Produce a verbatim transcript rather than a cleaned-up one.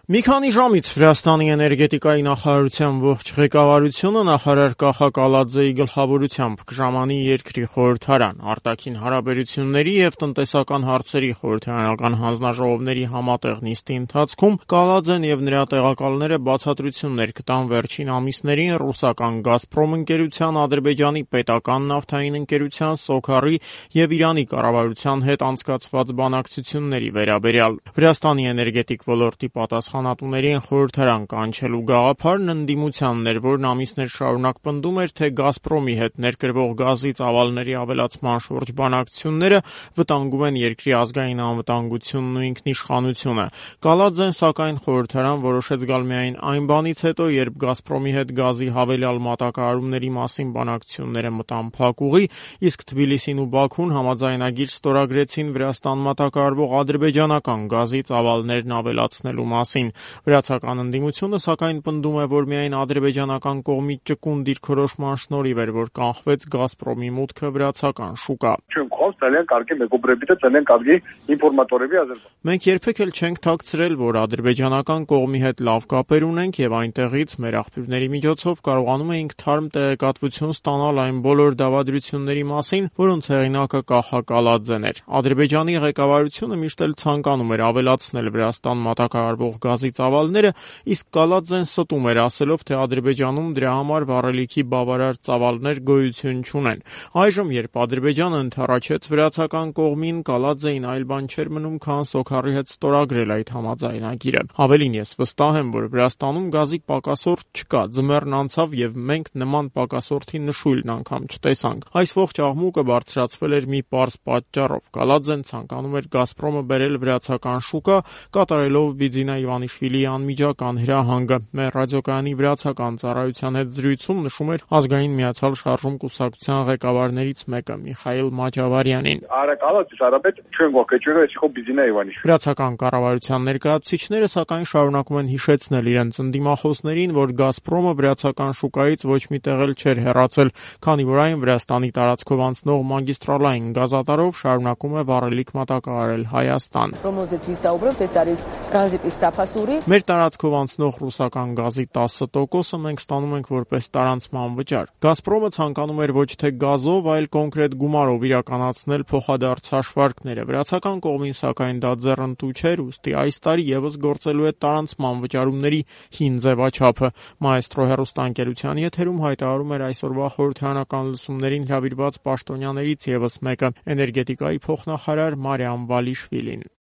Մի քանի ժամից Վրաստանի էներգետիկայի նախարարության ողջ ղեկավարությունը նախարար Կախա Կալաձեի գլխավորությամբ կժամանի երկրի խորհրդարան։ Արտաքին հարաբերությունների եւ տնտեսական հարցերի խորհրդարանական հանձնաժողովների համատեղ նիստի ընթացքում Կալաձեն եւ նրա տեղակալները բացատրություններ կտան վերջին ամիսներին ռուսական «Գազպրոմ» ընկերության, Ադրբեջանի պետական նավթային ընկերության «Սոքարի» եւ Իրանի կառավարության հետ անցկացված բանակցությունների վերաբերյալ։ Վրաստանի էներգետիկ ոլորտի պատասխանատուներին խորհրդարան կանչելու գաղափարն ընդդիմությանն էր, որն ամիսներ շարունակ պնդում էր, թե «Գազպրոմի» հետ ներկրվող գազի ծավալների ավելացման շուրջ բանակցությունները վտանգում են երկրի ազգային անվտանգությունն ու ինքնիշխանությունը։ Կալաձեն, սակայն, խորհրդարան որոշեց գալ միայն այն բանից հետո, երբ «Գազպրոմի» հետ գազի հավելյալ մատակարարումների մասին բանակցությունները մտան փակուղի, իսկ Թբիլիսին ու Բաքուն համաձայնագիր ստորագրեցին Վրաստան մատակարարվող ադրբեջանական գազի ծավալներն ավելացնելու մասին։ Վրացական ընդդիմությունը, սակայն, պնդում է, որ միայն ադրբեջանական կողմի ճկուն դիրքորոշման շնորհիվ էր, որ կանխվեց «Գազպրոմի» մուտքը վրացական շուկա։ Մենք երբեք էլ չենք թաքցրել, որ ադրբեջանական կողմի հետ լավ կապեր ունենք եւ այնտեղից մեր աղբյուրների միջոցով կարողանում էինք թարմ տեղեկատվություն ստանալ այն բոլոր դավադրությունների մասին, որոնց հեղինակը Կախա Կալաձեն էր։ Ադրբեջանի ղեկավարությունը միշտ էլ ցանկանում էր ավելացնել Վրաստան մատակարարվող գազի ծավալները, իսկ Կալաձեն ստում էր, ասելով, թե Ադրբեջանում դրա համար վառելիքի բավարար ծավալներ գոյություն չունեն։ Այժմ, երբ Ադրբեջանը ընդառաջեց վրացական կողմին, Կալաձեին այլ բան չէր մնում, քան Սոքարի հետ ստորագրել այդ համաձայնագիրը։ Ավելին, ես վստահ եմ, որ Վրաստանում գազի պակասորդ չկա, ձմեռն անցավ եւ մենք նման պակասորդի նշույլն անգամ չտեսանք։ Այս ողջ աղմուկը բարձրացվել էր մի պարզ պատճառով։ Կալաձեն ցանկանում էր «Գազպրոմը» բերել վրացական շուկա, կատարելով Բիձինա Իվանիշվիլիի անմիջական հրահանգը։ Մեր ռադիոկայանի վրացական ծառայության հետ զրույցում նշում էր Ազգային միացյալ շարժում կուսակցության ղեկավարներից մեկը՝ Միխայիլ Մաճավարյանին։ Վրացական կառավարության ներկայացուցիչները, սակայն, շարունակում են հիշեցնել իրենց ընդդիմախոսներին, որ «Գազպրոմը» վրացական շուկայից ոչ մի տեղ էլ չէր հեռացել, քանի որ այն Վրաստանի տարածքով անցնող մագիստրալային գազատարով շարունակում է վառելիք մատակարարել Հայաստան։ Մեր տարածքով անցնող ռուսական գազի տասը տոկոսը մենք ստանում ենք որպես տարանցման վճար։ «Գազպրոմը» ցանկանում էր ոչ թե գազով, այլ կոնկրետ գումարով իրականացնել փոխադարձ հաշվարկները։ Վրացական կողմին, սակայն, դա ձեռնտու չէր, ուստի այս տարի եւս գործելու է տարանցման վճարումների հին ձևաչափը։ Մաեստրո հեռուստաընկերության եթերում հայտարարում էր այսօրվա խորհրդարանական լսումներին հրավիրված պաշտոնյաներից եւս մեկը՝ էներգետիկայի փոխնախարար Մարիամ Վալիշվիլին։